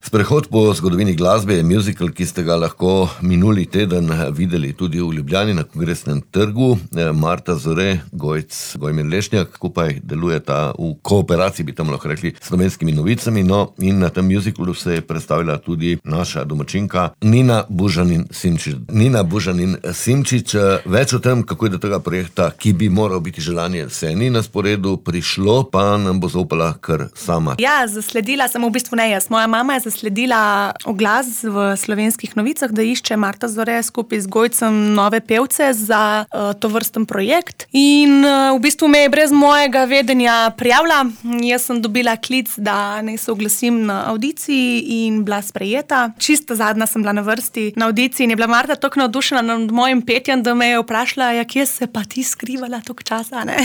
Sprehod po zgodovini glasbe je musical, ki ste ga lahko minuli teden videli tudi v Ljubljani na Kongresnem trgu. Marta Zore, Gojc, Gojmir Lešnjak, skupaj delujeta v kooperaciji, bi tam lahko rekli, s Slovenskimi novicami. No, in na tem musicalu se je predstavila tudi naša domačinka Nina Bužanin Simčič. Nina Bužanin Simčič, več o tem, kako je do tega projekta, ki bi moral biti želanje, se ni na sporedu prišlo, pa nam bo zaupala kar sama. Ja, zasledila sem v bistvu ne jaz. Moja mama je zasledila oglas v Slovenskih novicah, da išče Marta Zore skupaj z Gojcem nove pevce za tovrsten projekt. In v bistvu me je brez mojega vedenja prijavila. Jaz sem dobila klic, da naj se oglasim na avdiciji in bila sprejeta. Čisto zadnja sem bila na vrsti na avdiciji in je bila Marta tako navdušena nad mojim petjem, da me je vprašala, ja, kje se pa ti skrivala toliko časa, ne?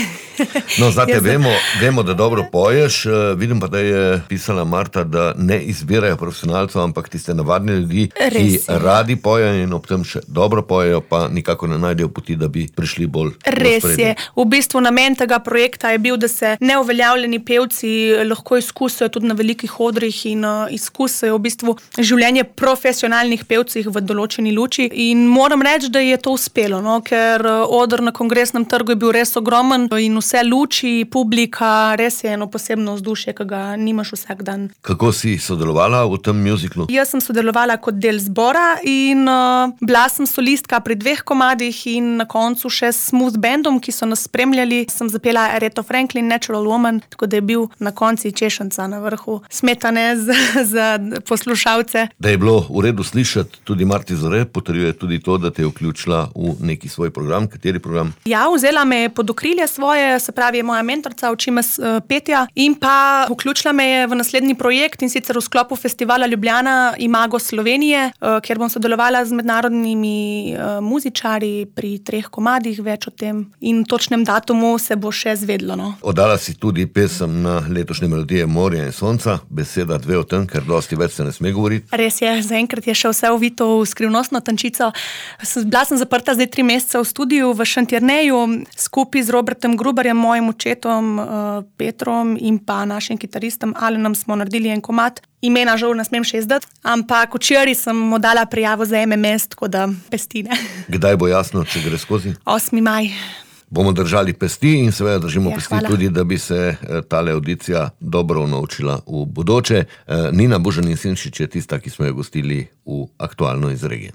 No, znate, vemo, da dobro poješ. Vidim pa, da je pisala Marta, da ne izbirajo profesionalcev, ampak tiste navadne ljudi, ki radi pojejo in ob tem še dobro pojejo, pa nikako ne najdejo poti, da bi prišli bolj v ospredje. Res je. V bistvu namen tega projekta je bil, da se neuveljavljeni pevci lahko izkusijo tudi na velikih odrih in izkusijo v bistvu življenje profesionalnih pevcih v določeni luči. In moram reči, da je to uspelo, no? Ker oder na Kongresnem trgu je bil res ogromen in vse luči, publika, res je eno posebno vzdušje, ki ga nimaš vsak dan. Kako si sodelovala v tem musiclu? Jaz sem sodelovala kot del zbora in bila sem solistka pri 2 komadih in na koncu še s smooth bandom, ki so nas spremljali. Sem zapela Aretha Franklin, Natural Woman, tako da je bil na konci češnca na vrhu smetane za poslušalce. Da je bilo v redu slišati tudi Marti Zore, potrjuje tudi to, da te je vključila v neki svoj program. Kateri program? Ja, vzela me je pod okrilje svoje, se pravi, je moja mentorca, uči me petja in pa vključila me je v naslednji projekt, in sicer v sklopu festivala Ljubljana Imago Slovenije, kjer bom sodelovala z mednarodnimi muzičarji pri 3 komadih, več o tem in točnem datumu se bo še zvedlo. No. Oddala si tudi pesem na letošnje melodije Morja in sonca, beseda 2 o tem, ker dosti več se ne sme govoriti. Res je, zaenkrat je še vse ovito v skrivnostno tančico. Bila sem zaprta zdaj 3 mesece v studiu v Šentjerneju, skupaj z Robertom Gruberjem, mojim očetom Petrom in pa našim kitaristom Alenom smo naredili en komad. Imena žal ne smem še izdati, ampak včeraj sem mu dala prijavo za MMS, tako da pesti, ne. Kdaj bo jasno, če gre skozi? 8. maj. Bomo držali pesti in seveda držimo pesti tudi, da bi se tale audicija dobro naučila v bodoče. Nina Bužanin Simčič je tista, ki smo jo gostili v Aktualno iz regije.